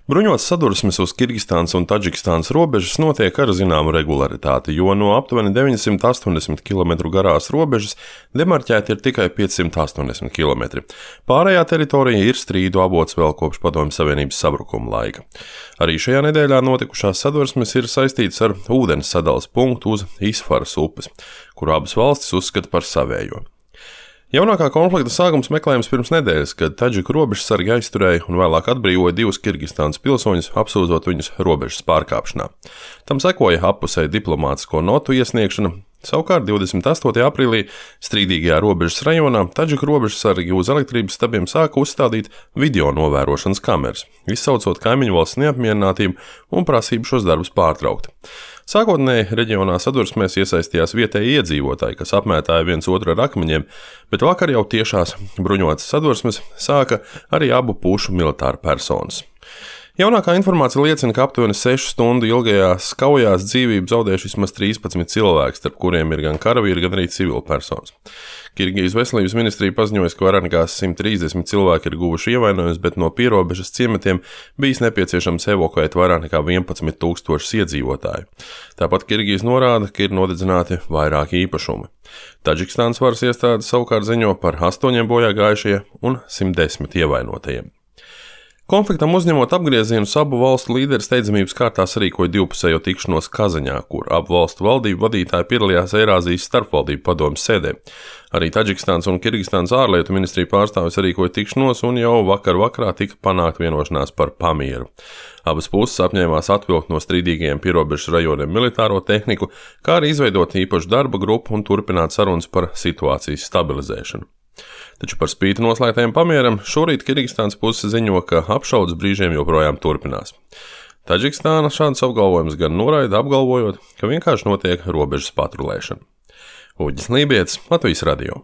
Bruņotas sadursmes uz Kirgistānas un Tadžikistānas robežas notiek ar zināmu regularitāti, jo no aptuveni 980 km garās robežas demarķēti ir tikai 580 km. Pārējā teritorija ir strīdu avots vēl kopš Padomju Savienības sabrukuma laika. Arī šajā nedēļā notikušās sadursmes ir saistītas ar ūdens sadales punktu uz Isfaras upes, kuru abas valstis uzskata par savējo. Jaunākā konflikta sākums meklējams pirms nedēļas, kad Tadžiku robežsargi aizturēja un vēlāk atbrīvoja divus Kirgistānas pilsoņus, apsūdzot viņus robežas pārkāpšanā. Tam sekoja appusēja diplomātisko notu iesniegšana. Savukārt 28. aprīlī strīdīgajā robežas rajonā Tadžiku robežsargi uz elektrības stabiem sāka uzstādīt video novērošanas kameras, izsaucot kaimiņu valsts neapmierinātību un prasību šos darbus pārtraukt. Sākotnēji reģionā sadursmēs iesaistījās vietēji iedzīvotāji, kas apmētāja viens otru ar akmeņiem, bet vakar jau tiešās bruņotas sadursmes sāka arī abu pušu militāru personas. Jaunākā informācija liecina, ka aptuveni 6 stundu ilgajās kaujās dzīvību zaudējuši vismaz 13 cilvēki, starp kuriem ir gan karavīri, gan arī civilpersonas. Kirgijas veselības ministrija paziņoja, ka vairāk nekā 130 cilvēki ir guvuši ievainojumus, bet no pierobežas ciematiem bijis nepieciešams evakuēt vairāk nekā 11 000 iedzīvotāju. Tāpat Kirgijas norāda, ka ir nodedzināti vairāki īpašumi. Tadžikistānas varas iestādes savukārt ziņo par 8 bojāgājušie un 110 ievainotajiem. Konfliktam uzņemot apgriezienus, abu valstu līderi steidzamības kārtā sarīkoja divpusējo tikšanos Kazaņā, kur abu valstu valdību vadītāji piedalījās Eirāzijas starpvaldību padomes sēdē. Arī Tadžikistānas un Kirgistānas ārlietu ministrija pārstāvis sarīkoja tikšanos un jau vakarā tika panākt vienošanās par pamieru. Abas puses apņēmās atvilkt no strīdīgajiem pierobežas rajoniem militāro tehniku, kā arī izveidot īpašu darba grupu un turpināt sarunas par situācijas stabilizēšanu. Taču par spīti noslēgtajam pamieram šorīt Kirgistānas puse ziņo, ka apšaudes brīžiem joprojām turpinās. Tadžikistāna šādus apgalvojumus gan noraida, apgalvojot, ka vienkārši notiek robežas patrulēšana. Uģis Lībietis, Latvijas radio.